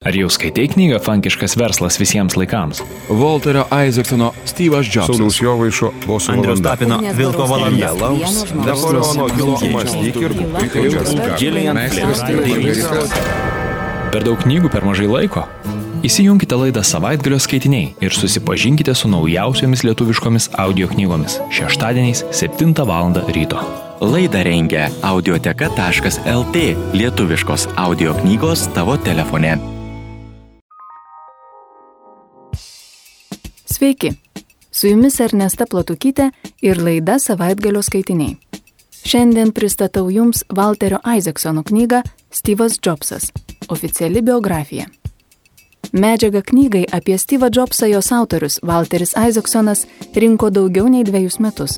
Ar jau skaitai knygą Funkiškas verslas visiems laikams? Walterio Isaacsono Steve'as Jobsas. Sauliaus Jovaišo Bosų Andriaus valanda. Tapino Vilko valanda. Napoleono Hilo mąstyk ir Per daug knygų per mažai laiko? Įsijunkite laidą Savaitgalio skaitiniai ir susipažinkite su naujausiomis lietuviškomis audio knygomis šeštadieniais 7 val. Ryto. Laidą rengia audioteka.lt, lietuviškos audio knygos tavo telefone. Sveiki, su jumis Ernesta Platukytė ir laida Savaitgalio skaitiniai. Šiandien pristatau jums Walterio Isaacsono knygą Steve'as Jobsas – oficiali biografija. Medžiagą knygai apie Steve'ą Jobsą jos autorius Walteris Isaacsonas rinko daugiau nei 2 metus.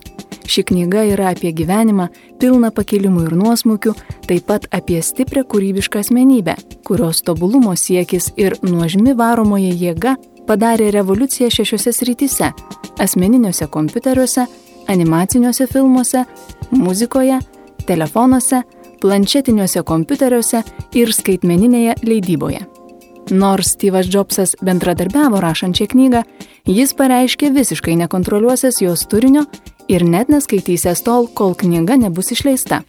Ši knyga yra apie gyvenimą, pilną pakilimų ir nuosmukių, taip pat apie stiprią kūrybišką asmenybę, kurios tobulumo siekis ir nuožmi varomoji jėga padarė revoliuciją 6 srityse – asmeniniuose kompiuteriuose, animaciniuose filmuose, muzikoje, telefonuose, planšetiniuose kompiuteriuose ir skaitmeninėje leidyboje. Nors Steve'as Jobsas bendradarbiavo rašant šią knygą, jis pareiškė visiškai nekontroliuosias jos turinio ir net neskaitysias tol, kol knyga nebus išleista.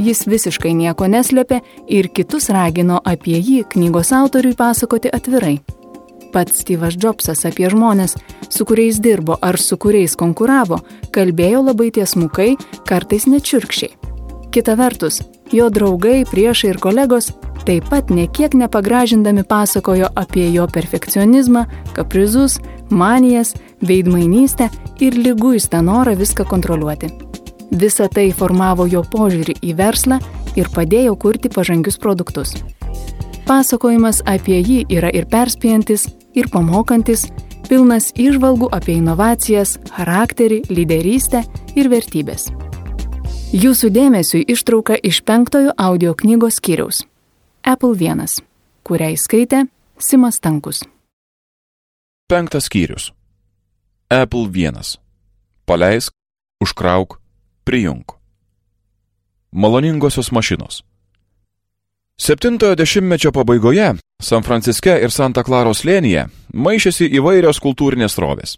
Jis visiškai nieko neslėpė ir kitus ragino apie jį knygos autoriui pasakoti atvirai. Pats Steve'as Jobsas apie žmonės, su kuriais dirbo ar su kuriais konkuravo, kalbėjo labai tiesmukai, kartais net šiurkščiai. Kita vertus, jo draugai, priešai ir kolegos taip pat nekiek nepagražindami pasakojo apie jo perfekcionizmą, kaprizus, manijas, veidmainystę ir liguistą norą viską kontroliuoti. Visa tai formavo jo požiūrį į verslą ir padėjo kurti pažangius produktus. Pasakojimas apie jį yra ir perspėjantis, ir pamokantis, pilnas įžvalgų apie inovacijas, charakterį, lyderystę ir vertybės. Jūsų dėmesiui ištrauka iš 5 audio knygos skyriaus Apple 1, kurią skaitė Simas Stankus. 5 skyrius. Apple 1. Paleisk, užkrauk, prijunk. Maloningosios mašinos. 7-ojo dešimtmečio pabaigoje San Franciske ir Santa Klaros slėnyje maišėsi įvairios kultūrinės srovės.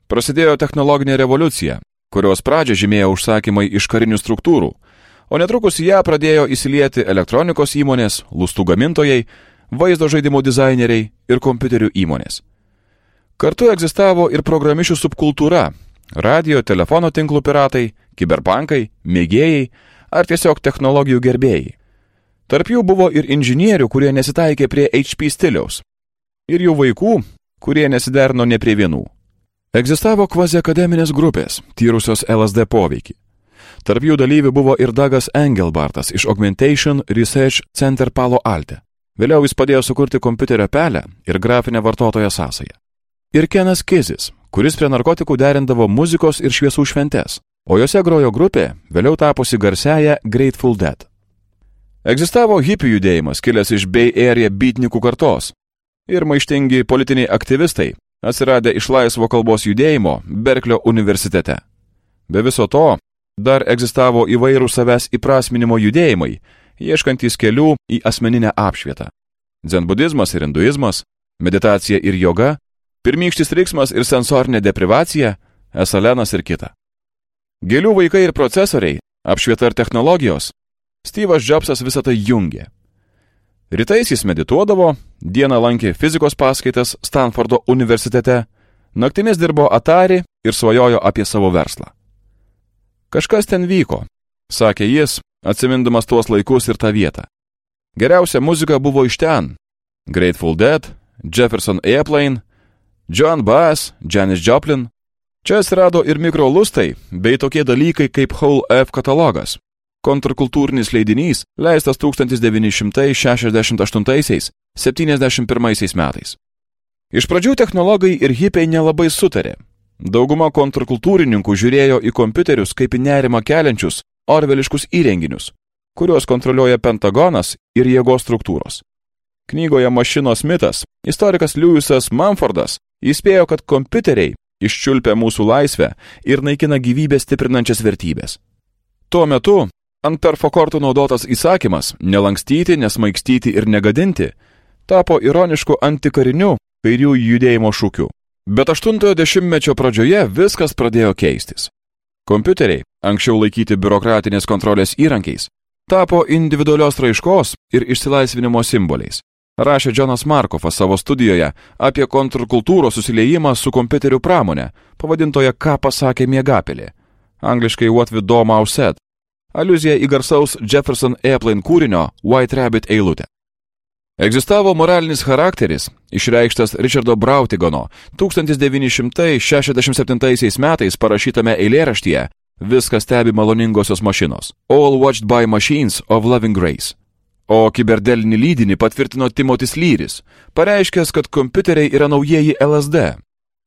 Prasidėjo technologinė revoliucija, kurios pradžią žymėjo užsakymai iš karinių struktūrų, o netrukus ją pradėjo įsilieti elektronikos įmonės, lustų gamintojai, vaizdo žaidimų dizaineriai ir kompiuterių įmonės. Kartu egzistavo ir programišių subkultūra, radio, telefono tinklų piratai, kiberpankai, mėgėjai ar tiesiog technologijų gerbėjai. Tarp jų buvo ir inžinierių, kurie nesitaikė prie HP stiliaus, ir jų vaikų, kurie nesiderino ne prie vienų. Egzistavo kvaziakademinės grupės, tyrusios LSD poveikį. Tarp jų dalyvių buvo ir Dougas Engelbartas iš Augmentation Research Center Palo Alte. Vėliau jis padėjo sukurti kompiuterio pelę ir grafinę vartotojo sąsają. Ir Kenas Kizis, kuris prie narkotikų derindavo muzikos ir šviesų šventes, o jose grojo grupė, vėliau tapusi garsiaja Grateful Dead. Egzistavo hipių judėjimas, kilęs iš Bay Area beatnikų kartos, ir maištingi politiniai aktyvistai, atsiradę iš laisvo kalbos judėjimo Berklio universitete. Be viso to, dar egzistavo įvairūs savęs įprasminimo judėjimai, ieškantys kelių į asmeninę apšvietą. Dzenbudizmas ir hinduizmas, meditacija ir joga, pirmykštis riksmas ir sensorinė deprivacija, esalenas ir kita. Gėlių vaikai ir procesoriai, apšvieta ir technologijos, Steve'as Jobsas visą tai jungė. Rytais jis medituodavo, dieną lankė fizikos paskaitas Stanfordo universitete, naktimis dirbo Atari ir svajojo apie savo verslą. Kažkas ten vyko, sakė jis, atsimindamas tuos laikus ir tą vietą. Geriausia muzika buvo iš ten. Grateful Dead, Jefferson Airplane, Joan Baez, Janis Joplin. Čia atsirado ir mikrolustai, bei tokie dalykai kaip Whole Earth katalogas. Kontrkultūrinis leidinys, leistas 1968–71 metais. Iš pradžių technologai ir hipiai nelabai sutarė. Dauguma kontrkultūrininkų žiūrėjo į kompiuterius kaip į nerimą keliančius, orveliškus įrenginius, kuriuos kontroliuoja Pentagonas ir jėgos struktūros. Knygoje Mašinos mitas istorikas Lewisas Mumfordas įspėjo, kad kompiuteriai iščiulpia mūsų laisvę ir naikina gyvybę stiprinančias vertybės. Tuo metu ant perfokortų naudotas įsakymas nelankstyti, nesmaigstyti ir negadinti tapo ironišku antikariniu kairiųjų judėjimo šūkiu. Bet 80-ojo dešimtmečio pradžioje viskas pradėjo keistis. Kompiuteriai, anksčiau laikyti biurokratinės kontrolės įrankiais, tapo individualios raiškos ir išsilaisvinimo simboliais. Rašė Džonas Markovas savo studijoje apie kontrkultūros susiliejimą su kompiuterių pramonė, pavadintoje Ką pasakė miegapelė, angliškai What the Dormouse Said, aliuzija į garsaus Jefferson Airplane kūrinio White Rabbit eilutę. Egzistavo moralinis charakteris, išreikštas Richardo Brautigono 1967 metais parašytame eilėraštyje Viską stebi maloningosios mašinos, All Watched by Machines of Loving Grace. O kiberdelinį lydinį patvirtino Timotis Lyris, pareiškęs, kad kompiuteriai yra naujieji LSD,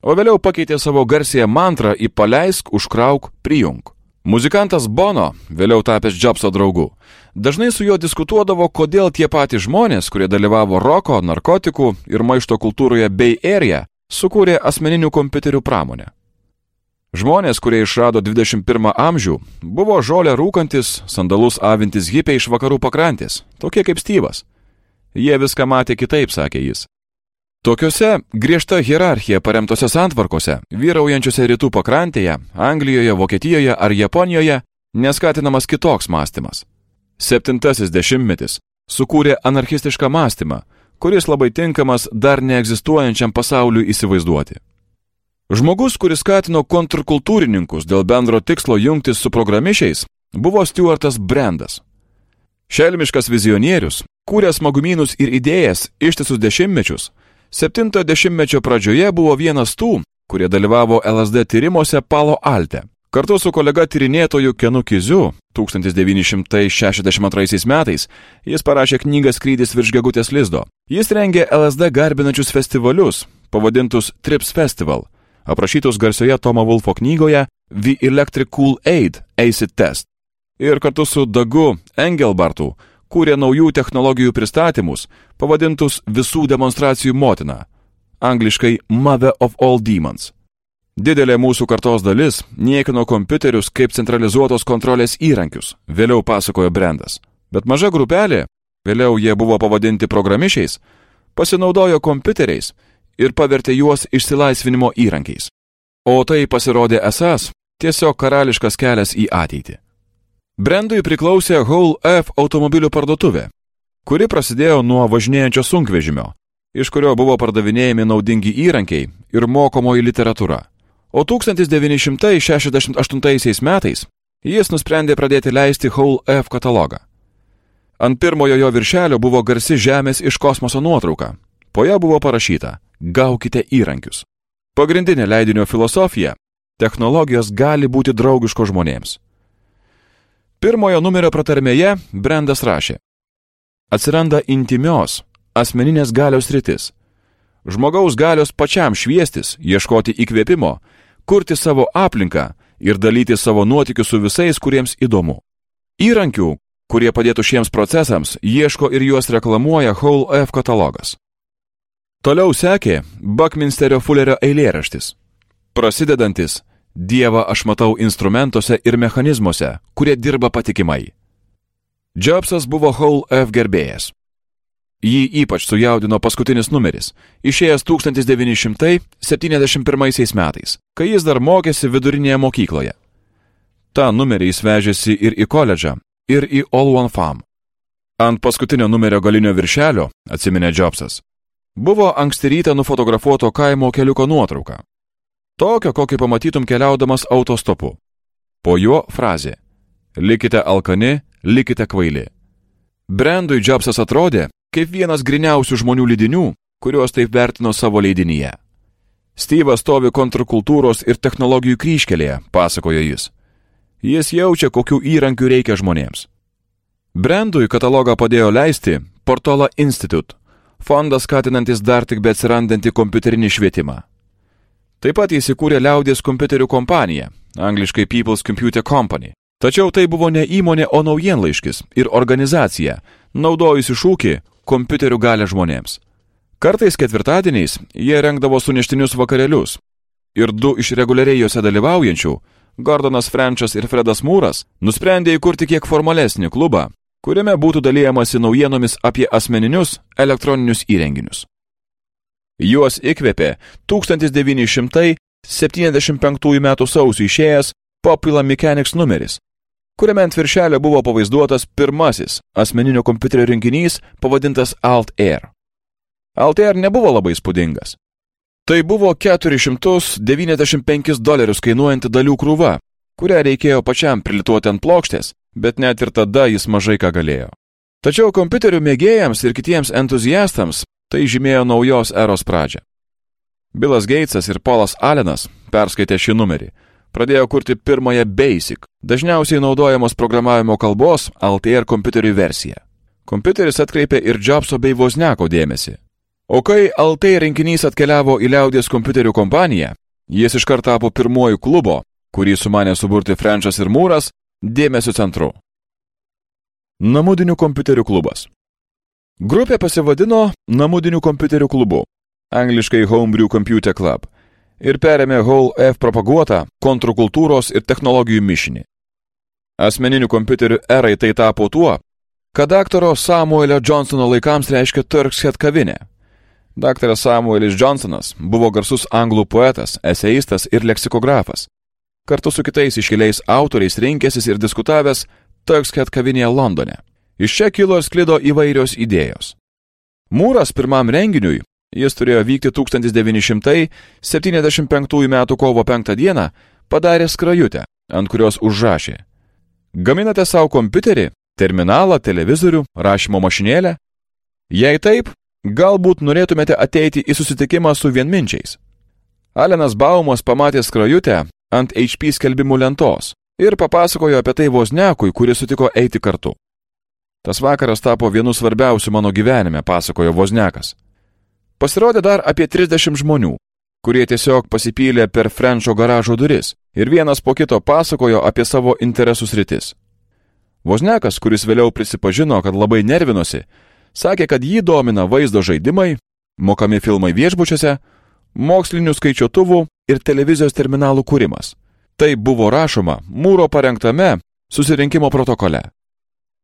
o vėliau pakeitė savo garsiąją mantrą į paleisk, užkrauk, prijung. Muzikantas Bono, vėliau tapęs Jobso draugu, dažnai su juo diskutuodavo, kodėl tie patys žmonės, kurie dalyvavo roko, narkotikų ir maišto kultūroje Bay Area, sukūrė asmeninių kompiuterių pramonę. Žmonės, kurie išrado 21 amžių, buvo žolę rūkantis, sandalus avintis hipiai iš vakarų pakrantės, tokie kaip Styvas. Jie viską matė kitaip, sakė jis. Tokiose griežta hierarchija paremtose santvarkose, vyraujančiose rytų pakrantėje, Anglijoje, Vokietijoje ar Japonijoje, neskatinamas kitoks mąstymas. 7-asis dešimtmetis sukūrė anarchistišką mąstymą, kuris labai tinkamas dar neegzistuojančiam pasauliui įsivaizduoti. Žmogus, kuris skatino kontrkultūrininkus dėl bendro tikslo jungtis su programišiais, buvo Stuartas Brandas. Šelmiškas vizionierius, kūrė smagumynus ir idėjas ištisus dešimtmečius, 7-ojo dešimtmečio pradžioje buvo vienas tų, kurie dalyvavo LSD tyrimuose Palo Alte. Kartu su kolega tyrinėtoju Kenu Kiziu 1962 metais jis parašė knygą Skrydis virš gegutės lizdo. Jis rengė LSD garbinančius festivalius, pavadintus Trips Festival, aprašytus garsioje Tomo Wolfo knygoje The Electric Kool-Aid Acid Test. Ir kartu su Dagu Engelbartu kūrė naujų technologijų pristatymus, pavadintus Visų demonstracijų motina, angliškai Mother of All Demons. Didelė mūsų kartos dalis niekino kompiuterius kaip centralizuotos kontrolės įrankius, vėliau pasakojo Brandas. Bet maža grupelė, vėliau jie buvo pavadinti programišiais, pasinaudojo kompiuteriais ir pavertė juos išsilaisvinimo įrankiais. O tai pasirodė esas tiesiog karališkas kelias į ateitį. Brandui priklausė Whole F automobilių parduotuvė, kuri prasidėjo nuo važinėjančio sunkvežimio, iš kurio buvo pardavinėjami naudingi įrankiai ir mokomoji literatūra. O 1968 metais jis nusprendė pradėti leisti Whole F katalogą. Ant pirmojo jo viršelio buvo garsi Žemės iš kosmoso nuotrauka. Po ją buvo parašyta Gaukite įrankius. Pagrindinė leidinio filosofija – technologijos gali būti draugiškos žmonėms. Pirmojo numerio pratarmėje Brandas rašė: Atsiranda intimios, asmeninės galios sritis. Žmogaus galios pačiam šviestis, ieškoti įkvėpimo, kurti savo aplinką ir dalyti savo nuotykius su visais, kuriems įdomu. Įrankių, kurie padėtų šiems procesams, ieško ir juos reklamuoja Whole F katalogas. Toliau sekė Buckminsterio Fullerio eilėraštis, prasidedantis Dievą aš matau instrumentuose ir mechanizmuose, kurie dirba patikimai. Jobsas buvo Whole F gerbėjas. Jį ypač sujaudino paskutinis numeris, išėjęs 1971 metais, kai jis dar mokėsi vidurinėje mokykloje. Ta numerį jis vežėsi ir į koledžą, ir į All One Farm. Ant paskutinio numerio galinio viršelio, atsiminė Jobsas, buvo anksti rytą nufotografuoto kaimo keliuko nuotrauka. Tokio, kokį pamatytum keliaudamas autostopu. Po juo frazė: likite alkani, likite kvaili. Brandui Jobsas atrodė kaip vienas griniausių žmonių lydinių, kuriuos taip vertino savo leidinyje. Styvas stovi kontrkultūros ir technologijų kryžkelėje, pasakojo jis. Jis jaučia, kokių įrankių reikia žmonėms. Brandui katalogą padėjo leisti Portola Institute, fondas skatinantis dar tik beatsirandantį kompiuterinį švietimą. Taip pat jis įkūrė liaudies kompiuterių kompaniją, angliškai People's Computer Company. Tačiau tai buvo ne įmonė, o naujienlaiškis ir organizacija, naudojusi šūkį kompiuterių galia žmonėms. Kartais ketvirtadieniais jie rengdavo suneštinius vakarėlius ir du iš reguliariai juose dalyvaujančių, Gordonas Frenčas ir Fredas Mūras, nusprendė įkurti kiek formalesnį klubą, kuriame būtų dalijamasi naujienomis apie asmeninius elektroninius įrenginius. Juos įkvėpė 1975 m. sausio išėjęs Popular Mechanics numeris, kuriame ant viršelio buvo pavaizduotas pirmasis asmeninio kompiuterio rinkinys pavadintas Altair. Altair nebuvo labai įspūdingas. Tai buvo $495 kainuojanti dalių krūva, kurią reikėjo pačiam prilituoti ant plokštės, bet net ir tada jis mažai ką galėjo. Tačiau kompiuterių mėgėjams ir kitiems entuziastams tai žymėjo naujos eros pradžią. Billas Gatesas ir Paulas Allenas, perskaitę šį numerį, pradėjo kurti pirmąją BASIC, dažniausiai naudojamos programavimo kalbos Altair kompiuterių versiją. Kompiuteris atkreipė ir Jobso bei Wozniako dėmesį. O kai Altair rinkinys atkeliavo į liaudies kompiuterių kompaniją, jis iškart tapo pirmuoju klubo, kurį sumanė suburti Frenchas ir Mooras, dėmesio centru. Namudinių kompiuterių klubas. Grupė pasivadino Namudinių kompiuterių klubu, angliškai Homebrew Computer Club, ir perėmė Hall F propaguotą kontrkultūros ir technologijų mišinį. Asmeninių kompiuterių erai tai tapo tuo, kad daktaro Samuelio Johnsono laikams reiškia Turk's Head kavinė. Daktaras Samuelis Johnsonas buvo garsus anglų poetas, eseistas ir leksikografas. Kartu su kitais iškiliais autoriais rinkęsis ir diskutavęs Turk's Head kavinėje Londone. Iš čia kilo ir sklido įvairios idėjos. Mooras pirmam renginiui, jis turėjo vykti 1975 m. kovo 5 d, padarė skrajutę, ant kurios užrašė: Gaminate savo kompiuterį, terminalą, televizorių, rašymo mašinėlę? Jei taip, galbūt norėtumėte ateiti į susitikimą su vienminčiais. Allenas Baumas pamatė skrajutę ant HP skelbimų lentos ir papasakojo apie tai Wozniakui, kuris sutiko eiti kartu. Tas vakaras tapo vienu svarbiausių mano gyvenime, pasakojo Wozniakas. Pasirodė dar apie 30 žmonių, kurie tiesiog pasipylė per Frencho garažo duris ir vienas po kito pasakojo apie savo interesų sritis. Wozniakas, kuris vėliau prisipažino, kad labai nervinosi, sakė, kad jį domina vaizdo žaidimai, mokami filmai viešbučiuose, mokslinių skaičiuotuvų ir televizijos terminalų kūrimas. Tai buvo rašoma Mooro parengtame susirinkimo protokole.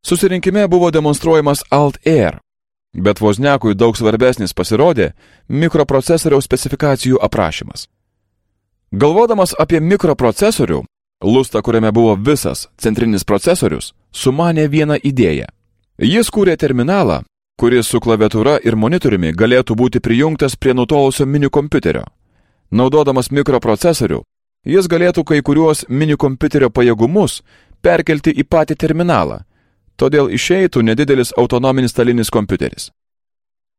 Susirinkime buvo demonstruojamas Altair, bet Wozniakui daug svarbesnis pasirodė mikroprocesoriaus specifikacijų aprašymas. Galvodamas apie mikroprocesorių, lustą, kuriame buvo visas centrinis procesorius, sumanė vieną idėją. Jis kūrė terminalą, kuris su klaviatūra ir monitoriumi galėtų būti prijungtas prie nutolusio minikompiuterio. Naudodamas mikroprocesorių, jis galėtų kai kuriuos minikompiuterio pajėgumus perkelti į patį terminalą, todėl išeitų nedidelis autonominis stalinis kompiuteris.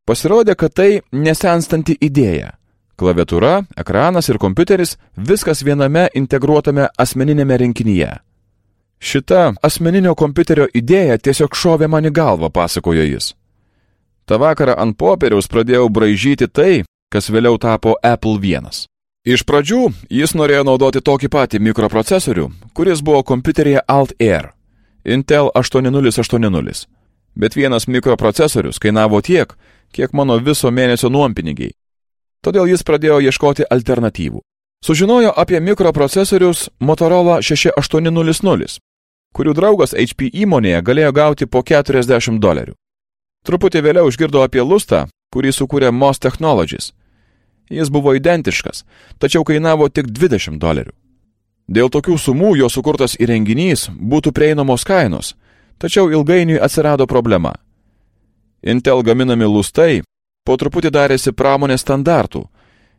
Pasirodė, kad tai nesenstanti idėja. Klaviatūra, ekranas ir kompiuteris – viskas viename integruotame asmeninėme rinkinyje. Šita asmeninio kompiuterio idėja tiesiog šovė man į galvą, pasakojo jis. Ta vakarą ant popieriaus pradėjau braižyti tai, kas vėliau tapo Apple I. Iš pradžių jis norėjo naudoti tokį patį mikroprocesorių, kuris buvo kompiuteryje Altair, Intel 8080, bet vienas mikroprocesorius kainavo tiek, kiek mano viso mėnesio nuompinigiai. Todėl jis pradėjo ieškoti alternatyvų. Sužinojo apie mikroprocesorius Motorola 6800, kurių draugas HP įmonėje galėjo gauti po $40. Truputį vėliau išgirdo apie lustą, kurį sukūrė MOS Technologies. Jis buvo identiškas, tačiau kainavo tik $20. Dėl tokių sumų jo sukurtas įrenginys būtų prieinamos kainos, tačiau ilgainiui atsirado problema. Intel gaminami lustai po truputį darėsi pramonės standartų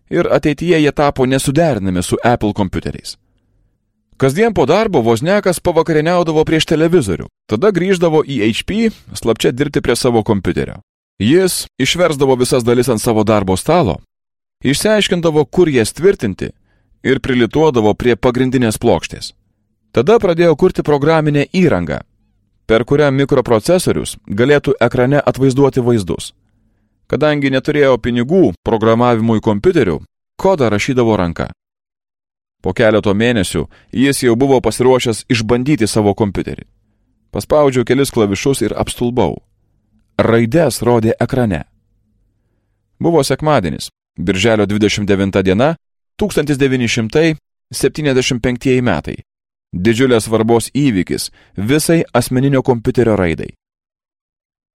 ir ateityje jie tapo nesuderinami su Apple kompiuteriais. Kasdien po darbo Wozniakas pavakarieniaudavo prieš televizorių, tada grįždavo į HP slapčia dirbti prie savo kompiuterio. Jis išversdavo visas dalis ant savo darbo stalo, išsiaiškindavo, kur jas tvirtinti ir prilituodavo prie pagrindinės plokštės. Tada pradėjo kurti programinę įrangą, per kurią mikroprocesorius galėtų ekrane atvaizduoti vaizdus. Kadangi neturėjo pinigų programavimui kompiuterių, kodą rašydavo ranka. Po keleto mėnesių jis jau buvo pasiruošęs išbandyti savo kompiuterį. Paspaudžiau kelis klavišus ir apstulbau. Raides rodė ekrane. Buvo sekmadienis, birželio 29 diena, 1975 metai. Didžiulės svarbos įvykis visai asmeninio kompiuterio raidai.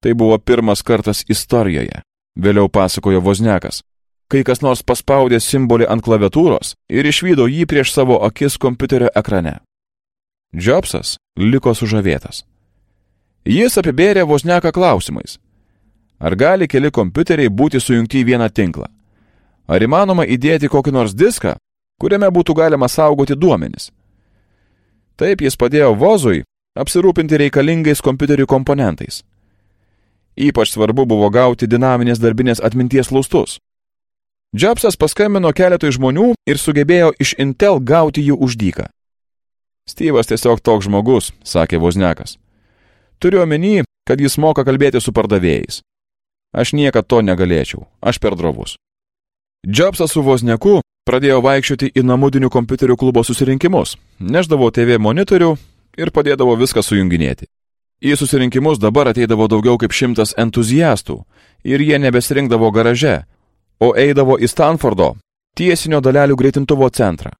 Tai buvo pirmas kartas istorijoje, vėliau pasakojo Wozniakas, kai kas nors paspaudė simbolį ant klaviatūros ir išvydo jį prieš savo akis kompiuterio ekrane. Jobsas liko sužavėtas. Jis apibėrė Wozniaką klausimais. Ar gali keli kompiuteriai būti sujungti į vieną tinklą? Ar įmanoma įdėti kokį nors diską, kuriame būtų galima saugoti duomenis? Taip jis padėjo Wozui apsirūpinti reikalingais kompiuterių komponentais. Ypač svarbu buvo gauti dinaminės darbinės atminties lustus. Jobsas paskambino keletui žmonių ir sugebėjo iš Intel gauti jų už dyką. Steve'as tiesiog toks žmogus, sakė Wozniakas. Turiu omeny, kad jis moka kalbėti su pardavėjais. Aš niekad to negalėčiau, aš per drovus. Jobsas su Wozniaku pradėjo vaikščioti į namudinių kompiuterių klubo susirinkimus, neždavo TV monitorių ir padėdavo viską sujunginėti. Į susirinkimus dabar ateidavo daugiau kaip 100 entuziastų ir jie nebesirinkdavo garaže, o eidavo į Stanfordo tiesinio dalelių greitintuvo centrą.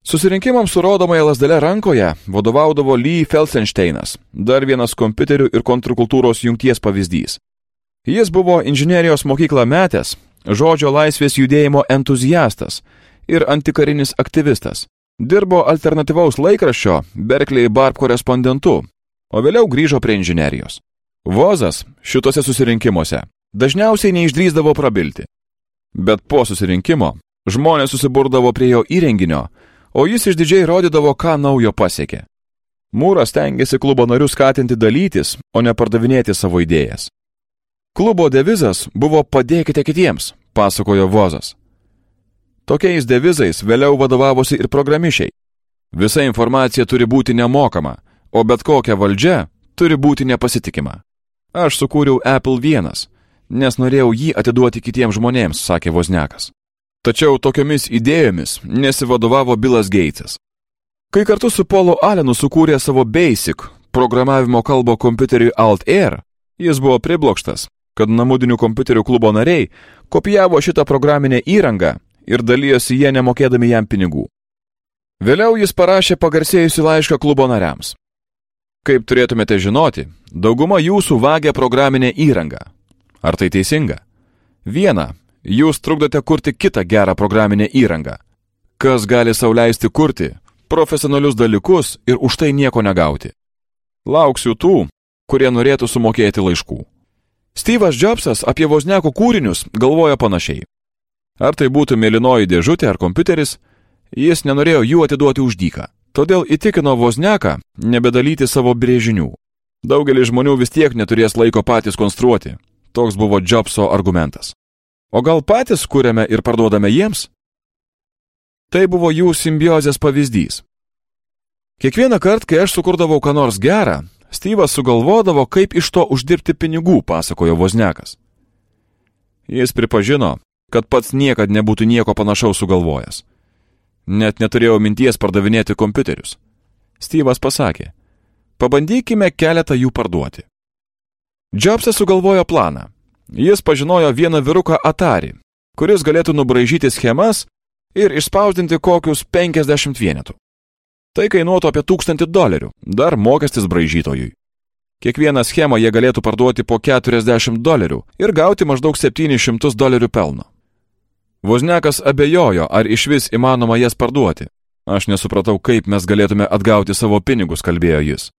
Susirinkimams su rodomąja lazdele rankoje vadovaudavo Lee Felsensteinas, dar vienas kompiuterių ir kontrkultūros jungties pavyzdys. Jis buvo inžinerijos mokyklą metęs, žodžio laisvės judėjimo entuziastas ir antikarinis aktyvistas. Dirbo alternatyvaus laikraščio Berkeley Barb korespondentu, o vėliau grįžo prie inžinerijos. Wozas šitose susirinkimuose dažniausiai neišdrįsdavo prabilti. Bet po susirinkimo žmonės susiburdavo prie jo įrenginio, o jis išdidžiai rodydavo, ką naujo pasiekė. Mūras stengiasi klubo narius skatinti dalytis, o ne pardavinėti savo idėjas. Klubo devizas buvo padėkite kitiems, pasakojo Wozas. Tokiais devizais vėliau vadovavosi ir programišiai. Visa informacija turi būti nemokama, o bet kokia valdžia turi būti nepasitikima. Aš sukūriau Apple 1, nes norėjau jį atiduoti kitiems žmonėms, sakė Wozniakas. Tačiau tokiomis idėjomis nesivadovavo Billas Gatesas. Kai kartu su Paulu Allenu sukūrė savo Basic programavimo kalbą kompiuteriui Altair, jis buvo priblokštas, kad namudinių kompiuterių klubo nariai kopijavo šitą programinę įrangą ir dalyjosi jie nemokėdami jam pinigų. Vėliau jis parašė pagarsėjusi laišką klubo nariams. Kaip turėtumėte žinoti, dauguma jūsų vagia programinę įrangą. Ar tai teisinga? Viena, jūs trukdote kurti kitą gerą programinę įrangą. Kas gali sau leisti kurti profesionalius dalykus ir už tai nieko negauti? Lauksiu tų, kurie norėtų sumokėti laiškų. Steve'as Jobsas apie Wozniako kūrinius galvoja panašiai. Ar tai būtų mėlynoji dėžutė ar kompiuteris, jis nenorėjo jų atiduoti už dyką. Todėl įtikino Wozniaką nebedalyti savo brėžinių. Daugelis žmonių vis tiek neturės laiko patys konstruoti. Toks buvo Jobso argumentas. O gal patys kuriame ir parduodame jiems? Tai buvo jų simbiozės pavyzdys. Kiekvieną kartą, kai aš sukurdavau ką nors gerą, Steve'as sugalvodavo, kaip iš to uždirbti pinigų, pasakojo Wozniakas. Jis pripažino, kad pats niekad nebūtų nieko panašaus sugalvojęs. Net neturėjau minties pardavinėti kompiuterius. Steve'as pasakė, pabandykime keletą jų parduoti. Jobsas sugalvojo planą. Jis pažinojo vieną vyruką Atari, kuris galėtų nubraižyti schemas ir išspausdinti kokius 50 vienetų. Tai kainuotų apie $1000, dar mokestis braižytojui. Kiekvieną schemą jie galėtų parduoti po $40 ir gauti maždaug $700 pelno. Wozniakas abejojo, ar išvis įmanoma jas parduoti. Aš nesupratau, kaip mes galėtume atgauti savo pinigus, kalbėjo jis.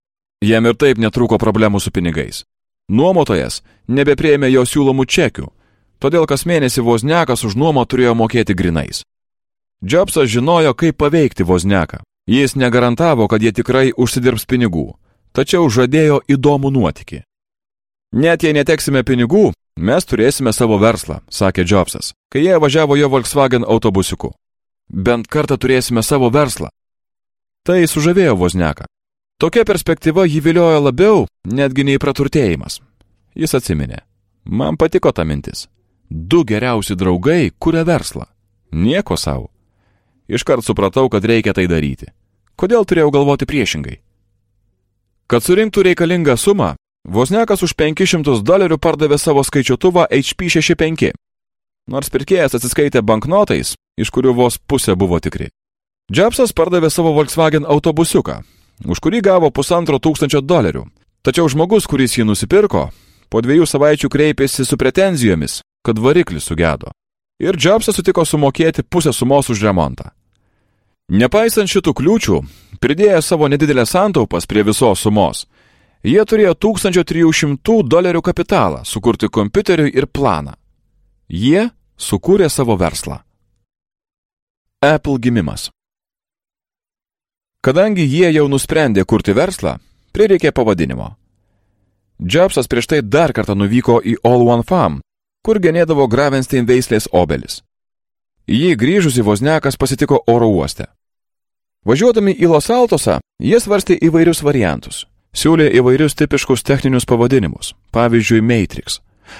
Jam ir taip netrūko problemų su pinigais. Nuomotojas nebepriėmė jo siūlomų čekių, todėl kas mėnesį Wozniakas už nuomą turėjo mokėti grinais. Jobsas žinojo, kaip paveikti Wozniaką. Jis negarantavo, kad jie tikrai užsidirbs pinigų, tačiau žadėjo įdomų nuotykį. Net jei neteksime pinigų, mes turėsime savo verslą, sakė Jobsas, kai jie važiavo jo Volkswagen autobusiuku. Bent kartą turėsime savo verslą. Tai sužavėjo Wozniaką. Tokia perspektyva jį viliojo labiau, netgi nei praturtėjimas. Jis atsiminė. Man patiko ta mintis. 2 geriausi draugai kuria verslą. Nieko savo. Iškart supratau, kad reikia tai daryti. Kodėl turėjau galvoti priešingai? Kad surinktų reikalingą sumą, Wozniakas už $500 pardavė savo skaičiuotuvą HP 65. Nors pirkėjas atsiskaitė banknotais, iš kurių vos pusė buvo tikri. Jobsas pardavė savo Volkswagen autobusiuką, už kurį gavo $1500. Tačiau žmogus, kuris jį nusipirko, Po 2 savaičių kreipėsi su pretenzijomis, kad variklis sugedo. Ir Jobsas sutiko sumokėti pusę sumos už remontą. Nepaisant šitų kliūčių, pridėję savo nedidelę santaupas prie visos sumos, jie turėjo $1300 kapitalą sukurti kompiuteriui ir planą. Jie sukūrė savo verslą. Apple gimimas. Kadangi jie jau nusprendė kurti verslą, prireikė pavadinimo. Jobsas prieš tai dar kartą nuvyko į All One Farm, kur genėdavo Gravenstein veislės obelis. Jį grįžusi Wozniakas pasitiko oro uoste. Važiuodami į Los Altosą, jie svarstė įvairius variantus. Siūlė įvairius tipiškus techninius pavadinimus, pavyzdžiui Matrix,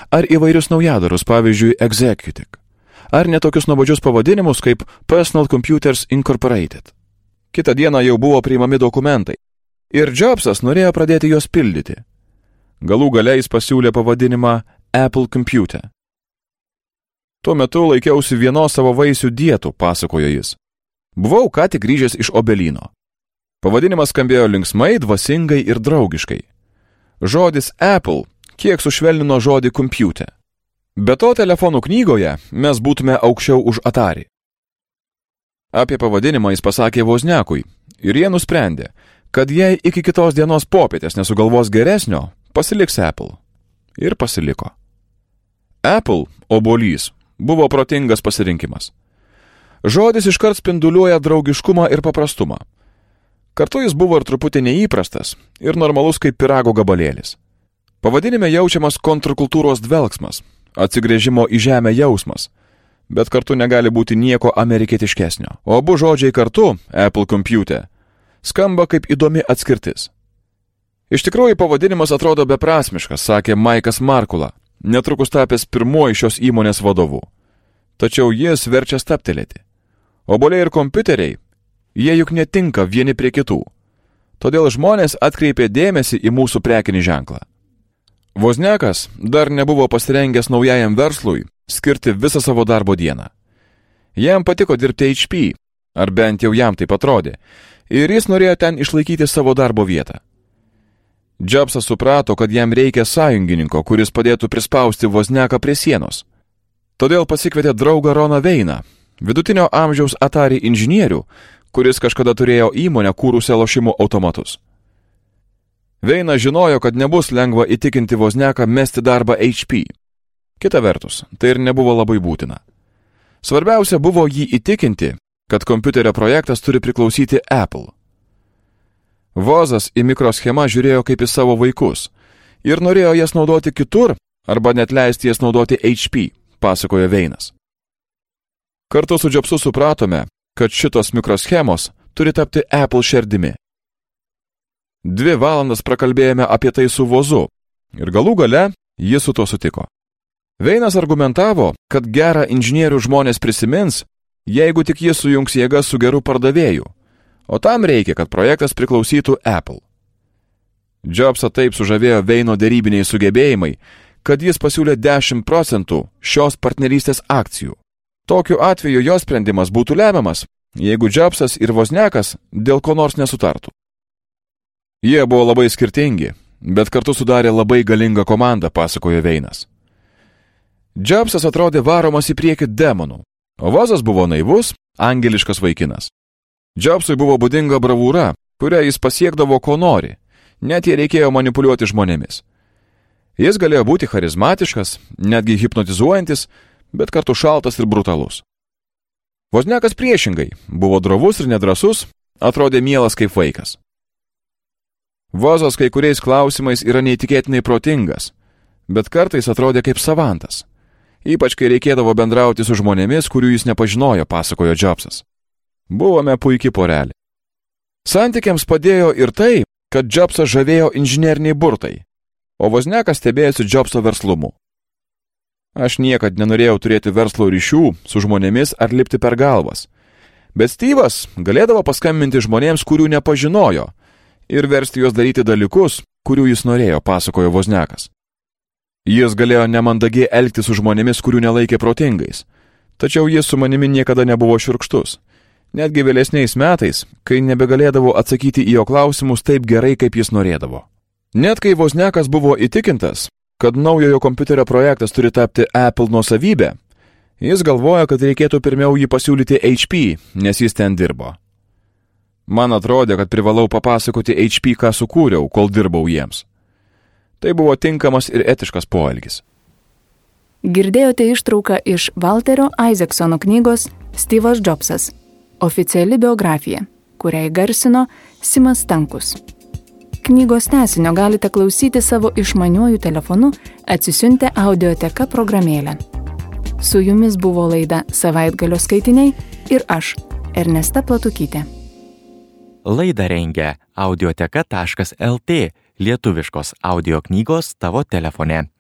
ar įvairius naujadarus, pavyzdžiui Executive, ar netokius nuobodžius pavadinimus kaip Personal Computers Incorporated. Kitą dieną jau buvo priimami dokumentai, ir Jobsas norėjo pradėti juos pildyti. Galų gale jis pasiūlė pavadinimą Apple Computer. Tuo metu laikiausi vienos savo vaisių dietų, pasakojo jis. Buvau ką tik grįžęs iš obelyno. Pavadinimas skambėjo linksmai, dvasingai ir draugiškai. Žodis Apple kiek sušvelnino žodį computer. Be to telefonų knygoje mes būtume aukščiau už Atari. Apie pavadinimą jis pasakė Wozniakui ir jie nusprendė, kad jei iki kitos dienos popietės nesugalvos geresnio, pasiliks Apple. Ir pasiliko. Apple, obuolys, buvo protingas pasirinkimas. Žodis iškart spinduliuoja draugiškumą ir paprastumą. Kartu jis buvo ir truputį neįprastas ir normalus kaip pyrago gabalėlis. Pavadinime jaučiamas kontrkultūros dvelksmas, atsigręžimo į žemę jausmas, bet kartu negali būti nieko amerikietiškesnio. O abu žodžiai kartu, Apple Computer, skamba kaip įdomi atskirtis. Iš tikrųjų pavadinimas atrodo beprasmiškas, sakė Maikas Markula, netrukus tapęs pirmuoju šios įmonės vadovu. Tačiau jis verčia stabtelėti. Obuoliai ir kompiuteriai, jie juk netinka vieni prie kitų. Todėl žmonės atkreipė dėmesį į mūsų prekinį ženklą. Wozniakas dar nebuvo pasirengęs naujajam verslui skirti visą savo darbo dieną. Jam patiko dirbti HP, ar bent jau jam taip atrodė, ir jis norėjo ten išlaikyti savo darbo vietą. Jobsas suprato, kad jam reikia sąjungininko, kuris padėtų prispausti Wozniaką prie sienos. Todėl pasikvietė draugą Roną Veiną, vidutinio amžiaus Atari inžinierių, kuris kažkada turėjo įmonę kūrusią lošimų automatus. Veinas žinojo, kad nebus lengva įtikinti Wozniaką mesti darbą HP. Kita vertus, tai ir nebuvo labai būtina. Svarbiausia buvo jį įtikinti, kad kompiuterio projektas turi priklausyti Apple. Vozas į mikroschemą žiūrėjo kaip į savo vaikus ir norėjo jas naudoti kitur arba net leisti jas naudoti HP, pasakojo Veinas. Kartu su Jobsu supratome, kad šitos mikroschemos turi tapti Apple širdimi. 2 valandas prakalbėjome apie tai su Vozu ir galų gale jis su to sutiko. Veinas argumentavo, kad gerą inžinierių žmonės prisimins, jeigu tik jis sujungs jėgas su geru pardavėju, o tam reikia, kad projektas priklausytų Apple. Jobsą taip sužavėjo Veino derybiniai sugebėjimai, kad jis pasiūlė 10% šios partnerystės akcijų. Tokiu atveju jo sprendimas būtų lemiamas, jeigu Jobsas ir Wozniakas dėl ko nors nesutartų. Jie buvo labai skirtingi, bet kartu sudarė labai galingą komandą, pasakojo Veinas. Jobsas atrodė varomas į priekį demonų, o Vozas buvo naivus, angeliškas vaikinas. Jobsui buvo būdinga bravūra, kurią jis pasiekdavo ko nori, net jei reikėjo manipuliuoti žmonėmis. Jis galėjo būti charizmatiškas, netgi hipnotizuojantis, bet kartu šaltas ir brutalus. Wozniakas priešingai, buvo drovus ir nedrasus, atrodė mielas kaip vaikas. Vozas kai kuriais klausimais yra neįtikėtinai protingas, bet kartais atrodė kaip savantas, ypač kai reikėdavo bendrauti su žmonėmis, kurių jis nepažinojo, pasakojo Jobsas. Buvome puikiai porelė. Santykiams padėjo ir tai, kad Jobsas žavėjo inžineriniai burtai, o Wozniakas stebėjosi Jobso verslumu. Aš niekad nenorėjau turėti verslo ryšių su žmonėmis ar lipti per galvas, bet Steve'as galėdavo paskambinti žmonėms, kurių nepažinojo, ir versti juos daryti dalykus, kurių jis norėjo, pasakojo Wozniakas. Jis galėjo nemandagiai elgtis su žmonėmis, kurių nelaikė protingais, tačiau jis su manimi niekada nebuvo šiurkštus. Netgi vėlesniais metais, kai nebegalėdavo atsakyti į jo klausimus taip gerai, kaip jis norėdavo. Net kai Wozniakas buvo įtikintas, kad naujojo kompiuterio projektas turi tapti Apple nuosavybė, jis galvoja, kad reikėtų pirmiau jį pasiūlyti HP, nes jis ten dirbo. Man atrodė, kad privalau papasakoti HP, ką sukūriau, kol dirbau jiems. Tai buvo tinkamas ir etiškas poelgis. Girdėjote ištrauką iš Walterio Isaacsono knygos Steve'as Jobsas – oficiali biografija, kurią įgarsino Simas Stankus. Knygos tęsinio galite klausyti savo išmaniuoju telefonu atsisiuntę Audioteka programėlę. Su jumis buvo laida Savaitgalio skaitiniai ir aš, Ernesta Platukytė. Laidą rengia audioteka.lt, lietuviškos audio knygos tavo telefone.